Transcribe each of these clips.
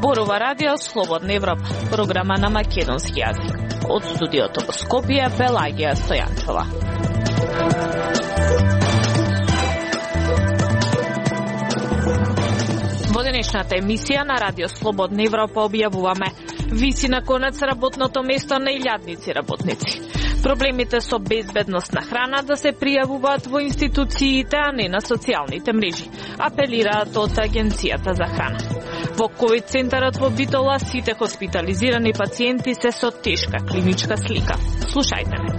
Зборува Радио Слободна Европа, програма на македонски јазик. Од студиото во Скопје, Пелагија Стојанчова. Во денешната емисија на Радио Слободна Европа објавуваме: виси на конец работното место на илјадници работници. Проблемите со безбедност на храна да се пријавуваат во институциите, а не на социјалните мрежи, апелираат од Агенцијата за храна. Во ковид центарот во Битола сите хоспитализирани пациенти се со тешка клиничка слика. Слушајте ме.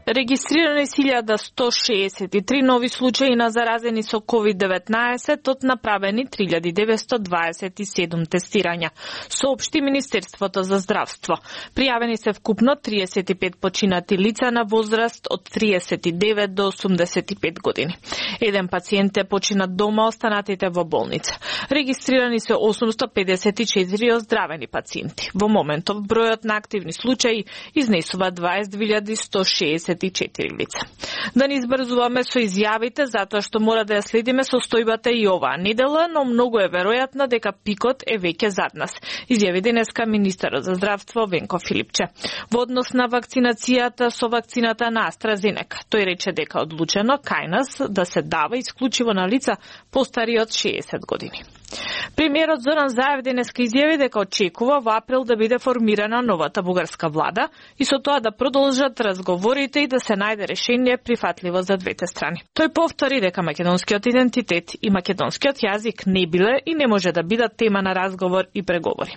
Регистрирани 1163 нови случаи на заразени со COVID-19 од направени 3927 тестирања, соопшти Министерството за здравство. Пријавени се вкупно 35 починати лица на возраст од 39 до 85 години. Еден пациент е починат дома, останатите во болница. Регистрирани се 854 оздравени пациенти. Во моментов бројот на активни случаи изнесува 20.164 лица. Да не избрзуваме со изјавите, затоа што мора да ја следиме состојбата и оваа недела, но многу е веројатно дека пикот е веќе зад нас, изјави денеска министерот за здравство Венко Филипче. Во однос на вакцинацијата со вакцината на AstraZeneca, тој рече дека одлучено кај нас да се дава исклучиво на лица постари од 60 години. Премиерот Зоран Заев денеска изјави дека очекува во април да биде формирана новата бугарска влада и со тоа да продолжат разговорите и да се најде решение прифатливо за двете страни. Тој повтори дека македонскиот идентитет и македонскиот јазик не биле и не може да бидат тема на разговор и преговори.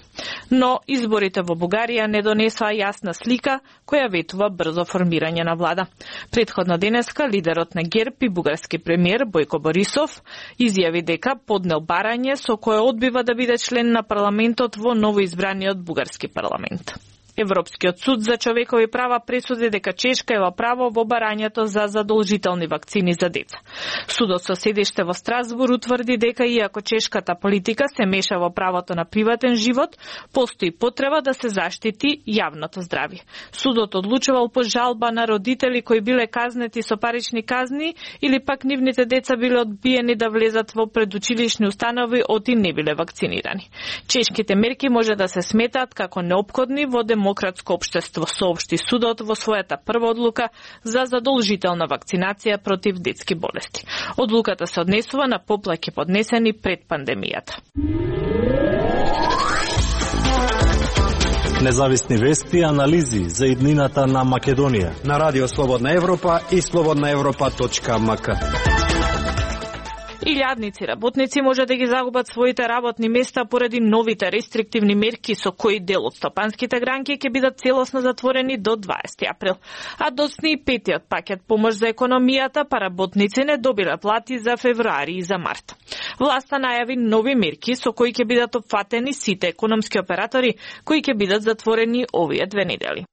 Но изборите во Бугарија не донесоа јасна слика која ветува брзо формирање на влада. Претходно денеска лидерот на ГЕРБ и бугарски премиер Бојко Борисов изјави дека поднел барање со кое одбива да биде член на парламентот во новоизбраниот бугарски парламент. Европскиот суд за човекови права пресуди дека Чешка е во право во барањето за задолжителни вакцини за деца. Судот со седиште во Страсбур утврди дека иако чешката политика се меша во правото на приватен живот, постои потреба да се заштити јавното здравје. Судот одлучувал по жалба на родители кои биле казнети со парични казни или пак нивните деца биле одбиени да влезат во предучилишни установи оти не биле вакцинирани. Чешките мерки може да се сметаат како неопходни во демократско општество, соопшти судот во својата прва одлука за задолжителна вакцинација против детски болести. Одлуката се однесува на поплаки поднесени пред пандемијата. Независни вести и анализи за иднината на Македонија на Радио Слободна Европа и slobodnaevropa.mk. Илјадници работници може да ги загубат своите работни места поради новите рестриктивни мерки со кои дел од стопанските гранки ќе бидат целосно затворени до 20 април. А доцни и петиот пакет помош за економијата, па работници не добиле плати за февруари и за март. Власта најави нови мерки со кои ќе бидат опфатени сите економски оператори кои ќе бидат затворени овие 2 недели.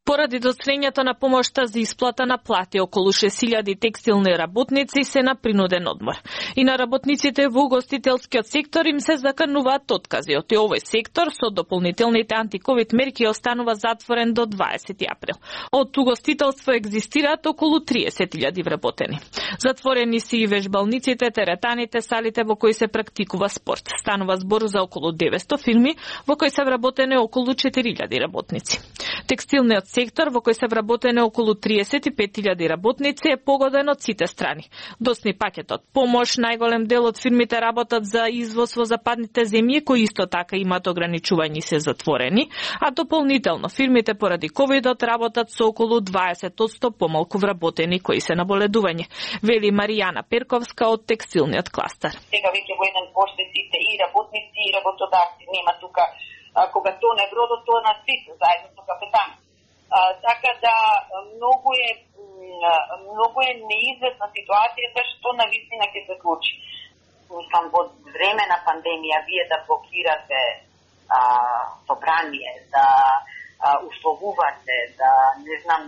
Поради доцнењето на помошта за исплата на плати, околу 6000 текстилни работници се на принуден одмор. И на работниците во угостителскиот сектор им се закануваат откази. Од овој сектор со дополнителните антиковид мерки останува затворен до 20 април. Од угостителство екзистираат околу 30.000 вработени. Затворени се и вежбалниците, теретаните, салите во кои се практикува спорт. Станува збор за околу 900 фирми во кои се вработени околу 4000 работници. Текстилниот сектор во кој се вработени околу 35.000 работници е погоден од сите страни. Доцни пакетот помош, најголем дел од фирмите работат за извоз во западните земји кои исто така имаат ограничувања и се затворени, а дополнително фирмите поради ковидот работат со околу 20% помалку вработени кои се на боледување, вели Маријана Перковска од текстилниот кластер. Сега веќе во еден поште сите и работници и работодавци, нема тука кога тоне бродот, тоа на сите заедно со капетан. Така да многу е неизвестна ситуацијата што навистина ќе се случи. Мислам, во време на пандемија вие да блокирате собрание, да условувате, да не знам,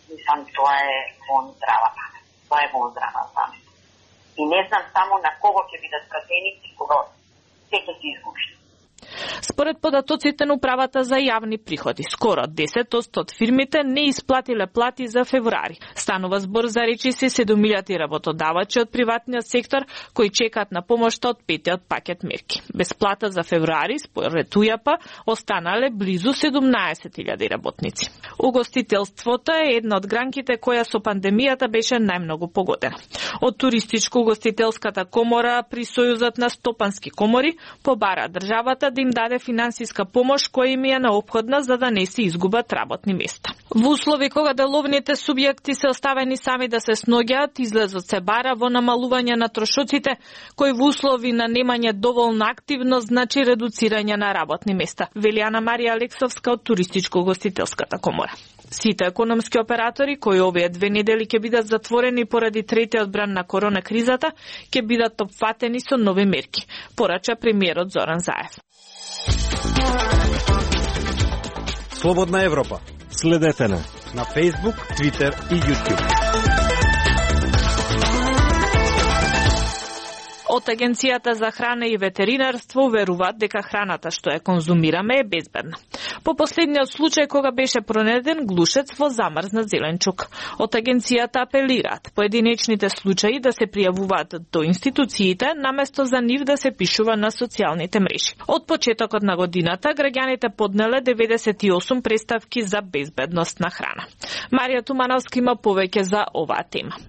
мислам, тоа е вон здрава памет. Тоа е вон здрава памет. И не знам само на кого ќе бидат пратеници, кога се ќе се изгубиш. Според податоците на управата за јавни приходи, скоро 10% од фирмите не исплатиле плати за февруари. Станува збор за речиси 7.000 работодавачи од приватниот сектор кои чекаат на помошта од петиот пакет мерки. Без плата за февруари, според УЈП, останале близу 17.000 работници. Угостителството е една од гранките која со пандемијата беше најмногу погодена. Од Туристичко-угостителската комора при Сојузот на стопански комори побара државата да им даде финансиска помош која им е неопходна за да не се изгубат работни места. Во услови кога деловните субјекти се оставени сами да се сноѓаат, излезот се бара во намалување на трошоците, кои во услови на немање доволна активност значи редуцирање на работни места, вели Ана Марија Алексовска од Туристичко-угостителската комора. Сите економски оператори кои овие 2 недели ќе бидат затворени поради третиот бран на корона кризата, ќе бидат опфатени со нови мерки, порача премиерот Зоран Заев. Слободна Европа. Следете на Facebook, Twitter и YouTube. Од Агенцијата за храна и ветеринарство уверуваат дека храната што ја конзумираме е безбедна. По последниот случај кога беше пронеден глушец во замрзнат зеленчук. Од агенцијата апелираат поединечните случаи да се пријавуваат до институциите наместо за нив да се пишува на социјалните мрежи. Од почетокот на годината граѓаните поднеле 98 представки за безбедност на храна. Марија Тумановска има повеќе за оваа тема.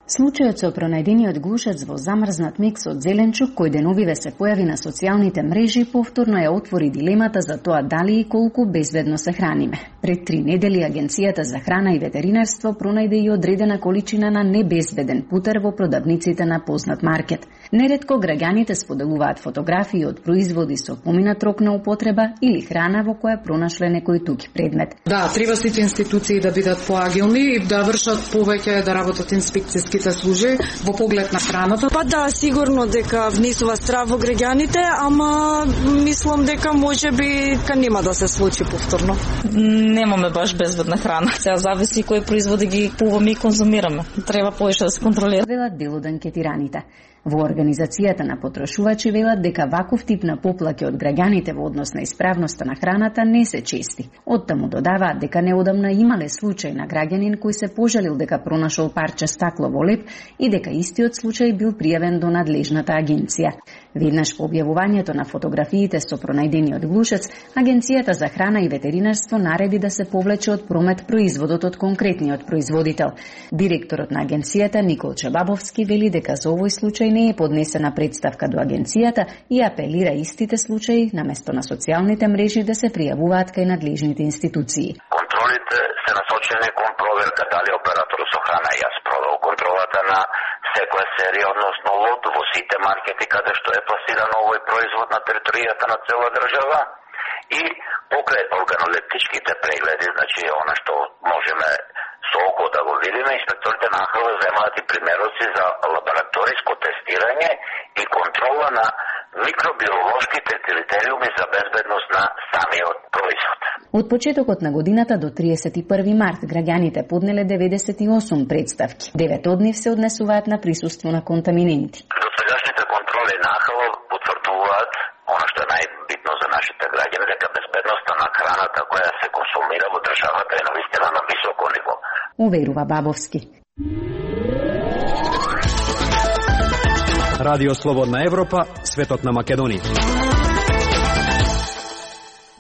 Случајот со пронајдениот глушец во замрзнат микс од зеленчук кој деновиве се појави на социјалните мрежи повторно ја отвори дилемата за тоа дали и колку безбедно се храниме. Пред 3 недели Агенцијата за храна и ветеринарство пронајде и одредена количина на небезбеден путер во продавниците на познат маркет. Неретко граѓаните споделуваат фотографии од производи со поминат рок на употреба или храна во која пронашле некој туѓ предмет. Да, треба сите институции да бидат поагилни и да вршат повеќе, да работат инспекциски служи во поглед на храната. Па да, сигурно дека внесува страв во граѓаните, ама мислам дека можеби нема да се случи повторно. Немаме баш безбедна храна. Сега зависи кои производи ги купуваме и конзумираме. Треба повеќе да се контролира. Велат дел од анкетираните. Во Организацијата на потрошувачи велат дека ваков тип на поплаки од граѓаните во однос на исправноста на храната не се чести. Оттаму додаваат дека неодамна имале случај на граѓанин кој се пожалил дека пронашол парче стакло во леп и дека истиот случај бил пријавен до надлежната агенција. Веднаш по објавувањето на фотографиите со пронајдениот глушец, Агенцијата за храна и ветеринарство нареди да се повлече од промет производот од конкретниот производител. Директорот на агенцијата Никол Чебабовски вели дека за овој случај не е поднесена представка до агенцијата и апелира истите случаи наместо на социјалните мрежи да се пријавуваат кај надлежните институции. Контролите се насочени кон проверка дали операторот со храна ја спровел контролата на секоја серија, односно лот во сите маркети каде што е пласиран овој производ на територијата на цела држава и покрај органолептичките прегледи, значи она што можеме со око да го видиме, инспекторите на АХЛ земаат и примероци за лабораториско тестирање и контрола на микробиолошките критериуми за безбедност на самиот производ. Од почетокот на годината до 31 март граѓаните поднеле 98 представки. 9 од нив се однесуваат на присуство на контаминенти. Досегашните контроли на АХЛ потврдуваат она што е најбитно за нашите граѓани, дека безбедноста на храната која се консумира во државата е навистина на високо ниво. Уверува Бабовски. Радио Слободна Европа, светот на Македонија.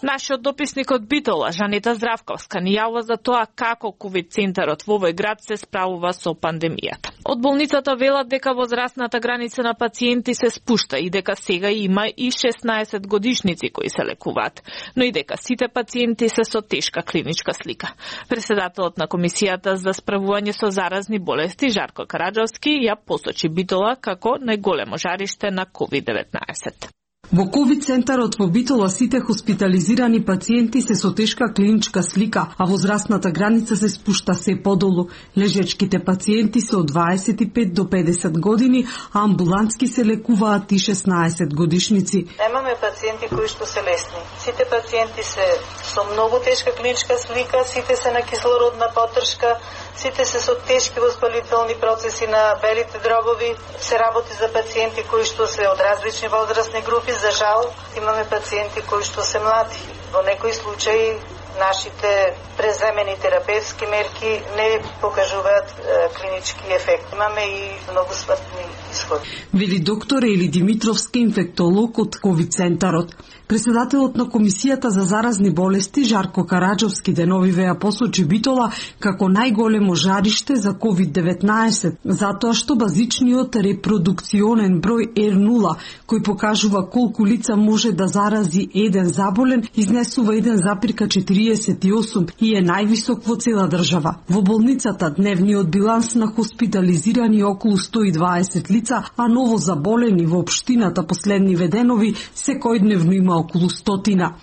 Нашиот дописник од Битола, Жанета Здравковска, ни јавува за тоа како ковид центарот во овој град се справува со пандемијата. Од болницата велат дека возрастната граница на пациенти се спушта и дека сега има и 16 годишници кои се лекуваат, но и дека сите пациенти се со тешка клиничка слика. Председателот на Комисијата за справување со заразни болести Жарко Караджовски ја посочи Битола како најголемо жариште на COVID-19. Во ковид центарот во Битола сите хоспитализирани пациенти се со тешка клиничка слика, а возрастната граница се спушта се подолу. Лежачките пациенти се од 25 до 50 години, а амбулантски се лекуваат и 16 годишници. Немаме пациенти кои што се лесни. Сите пациенти се со многу тешка клиничка слика, сите се на кислородна потршка, Сите се со тешки воспалителни процеси на белите дробови, се работи за пациенти кои што се од различни возрастни групи. За жал, имаме пациенти кои што се млади. Во некои случаи нашите преземени терапевски мерки не покажуваат клинички ефект. Имаме и многу смртни исходи. Вели доктор Ели Димитровска, инфектолог од ковид центарот. Председателот на Комисијата за заразни болести Жарко Караджовски деновиве ја посочи Битола како најголемо жариште за COVID-19, затоа што базичниот репродукционен број R0, кој покажува колку лица може да зарази еден заболен, изнесува 1,48 и е највисок во цела држава. Во болницата дневниот биланс на хоспитализирани околу 120 лица, а ново заболени во општината последниве денови секојдневно има околу 100.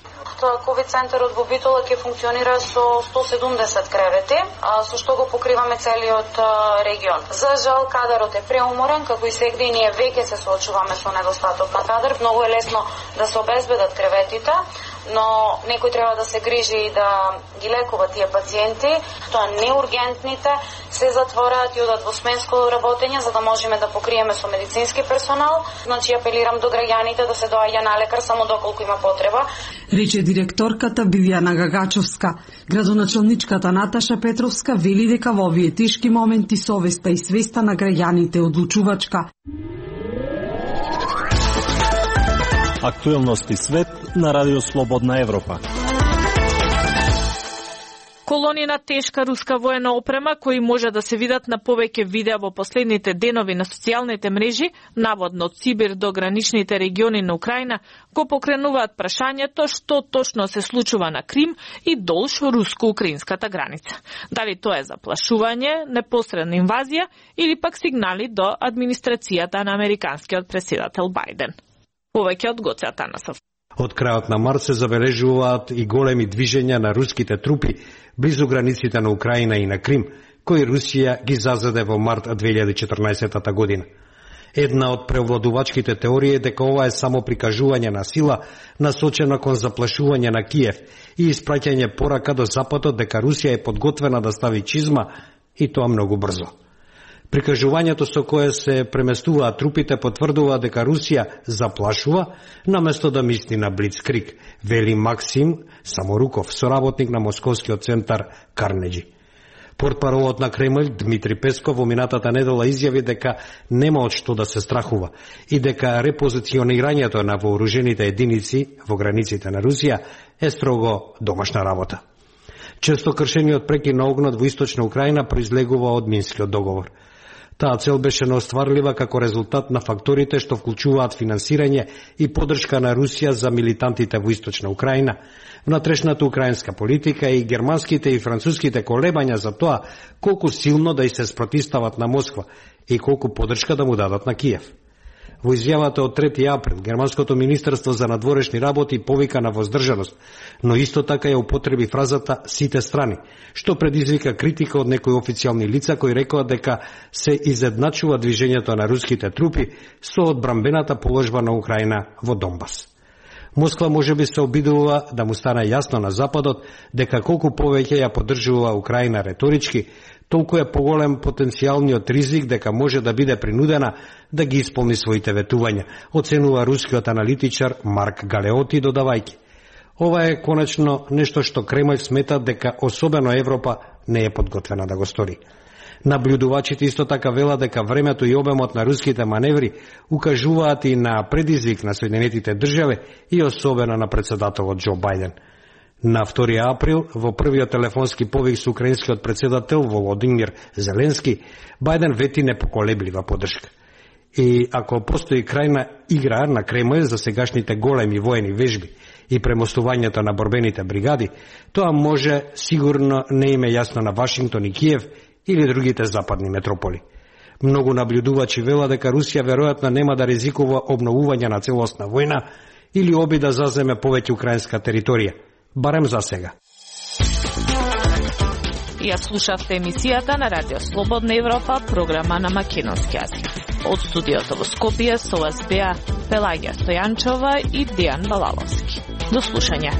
Ковид центарот во Битола ќе функционира со 170 кревети, со што го покриваме целиот регион. За жал, кадарот е преуморен, како и сегде ние веќе се соочуваме со недостаток на кадар. Многу е лесно да се обезбедат креветите, но некој треба да се грижи и да ги лекува тие пациенти. Тоа неургентните се затвораат и одат во сменско работење, за да можеме да покриеме со медицински персонал. Значи, апелирам до граѓаните да се доаѓа на лекар само доколку има потреба. Рече директорката Билјана Гагачовска. Градоначалничката Наташа Петровска вели дека во овие тешки моменти совеста и свеста на граѓаните одлучувачка. Актуелности свет на Радио Слободна Европа. Колони на тешка руска воена опрема, кои може да се видат на повеќе видеа во последните денови на социјалните мрежи, наводно од Сибир до граничните региони на Украина, го покренуваат прашањето што точно се случува на Крим и долж руско-украинската граница. Дали тоа е заплашување, непосредна инвазија или пак сигнали до администрацијата на американскиот претседател Бајден. Повеќе од Гоце Атанасов. Од крајот на март се забележуваат и големи движења на руските трупи близу границите на Украина и на Крим, кои Русија ги зазаде во март 2014 година. Една од преовладувачките теории е дека ова е само прикажување на сила насочена кон заплашување на Киев и испраќање порака до Западот дека Русија е подготвена да стави чизма и тоа многу брзо. Прикажувањето со кое се преместуваат трупите потврдува дека Русија заплашува наместо да мисли на блицкриг, вели Максим Саморуков, соработник на Московскиот центар Карнеджи. Портпаролот на Кремљ Дмитри Песков во минатата недела изјави дека нема од што да се страхува и дека репозиционирањето на вооружените единици во границите на Русија е строго домашна работа. Често кршениот прекин на огнот во источна Украина произлегува од Минскиот договор. Таа цел беше неостварлива како резултат на факторите што вклучуваат финансирање и поддршка на Русија за милитантите во источна Украина, внатрешната украинска политика и германските и француските колебања за тоа колку силно да и се спротистават на Москва и колку поддршка да му дадат на Киев. Во изјавата од 3 април, Германското министерство за надворешни работи повика на воздржаност, но исто така ја употреби фразата «сите страни», што предизвика критика од некои официјални лица кои рекоа дека се изедначува движењето на руските трупи со одбрамбената положба на Украина во Донбас. Москва можеби се обидува да му стане јасно на Западот дека колку повеќе ја поддржува Украина реторички, толку е поголем потенцијалниот ризик дека може да биде принудена да ги исполни своите ветувања, оценува рускиот аналитичар Марк Галеоти додавајќи. Ова е конечно нешто што Кремљ смета дека особено Европа не е подготвена да го стори. Наблюдувачите исто така велат дека времето и обемот на руските маневри укажуваат и на предизвик на Соединетите држави и особено на претседателот Џо Бајден. На 2 април, во првиот телефонски повик со украинскиот претседател Володимир Зеленски, Бајден вети непоколеблива поддршка. И ако постои крајна игра на Кремљ за сегашните големи воени вежби и премостувањето на борбените бригади, тоа може сигурно не им е јасно на Вашингтон и Киев или другите западни метрополи. Многу наблюдувачи велат дека Русија веројатно нема да ризикува обновување на целосна војна или оби да заземе повеќе украинска територија, барем за сега. Ја слушавте емисијата на Радио Слободна Европа, програма на македонски јазик. Од студиото во Скопје со вас беа Пелагија Стојанчова и Дејан Балаловски. До слушање.